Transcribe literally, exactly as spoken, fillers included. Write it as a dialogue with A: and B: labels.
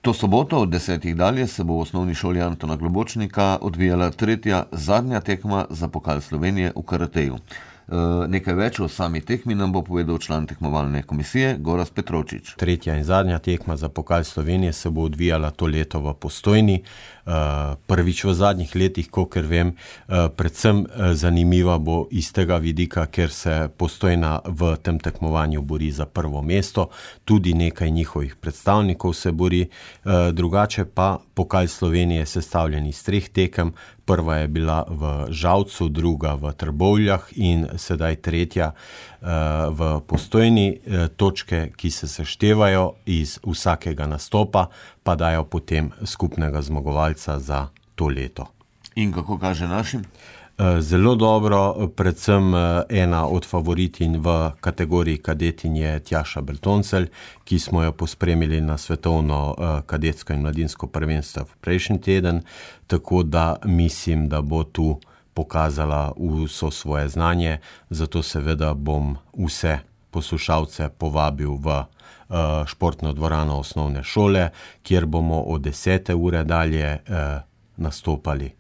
A: To soboto od desetih dalje se bo v osnovni šoli Antona Globočnika odvijala tretja, zadnja tekma za pokal Slovenije v karateju. E, nekaj več o sami tekmi nam bo povedal član tekmovalne komisije Gorazd Petrovčič.
B: Tretja in zadnja tekma za pokal Slovenije se bo odvijala to leto v Postojni. E, prvič v zadnjih letih, kolikor vem, e, predvsem zanimiva bo iz tega vidika, ker se Postojna v tem tekmovanju bori za prvo mesto, tudi nekaj njihovih predstavnikov se bori. E, drugače pa pokal Slovenije je sestavljen iz treh tekem. Prva je bila v Žalcu, druga v Trbovljah in sedaj tretja uh, v Postojni. Uh, točke, ki se seštevajo iz vsakega nastopa, pa dajo potem skupnega zmagovalca za to leto.
A: In kako kaže našim?
B: Zelo dobro, predvsem ena od favoritin v kategoriji kadetin je Tjaša Bertoncelj, ki smo jo pospremili na svetovno kadetsko in mladinsko prvenstvo v prejšnji teden, tako da mislim, da bo tu pokazala vso svoje znanje, zato seveda bom vse poslušalce povabil v športno dvorano osnovne šole, kjer bomo od desete ure dalje nastopali.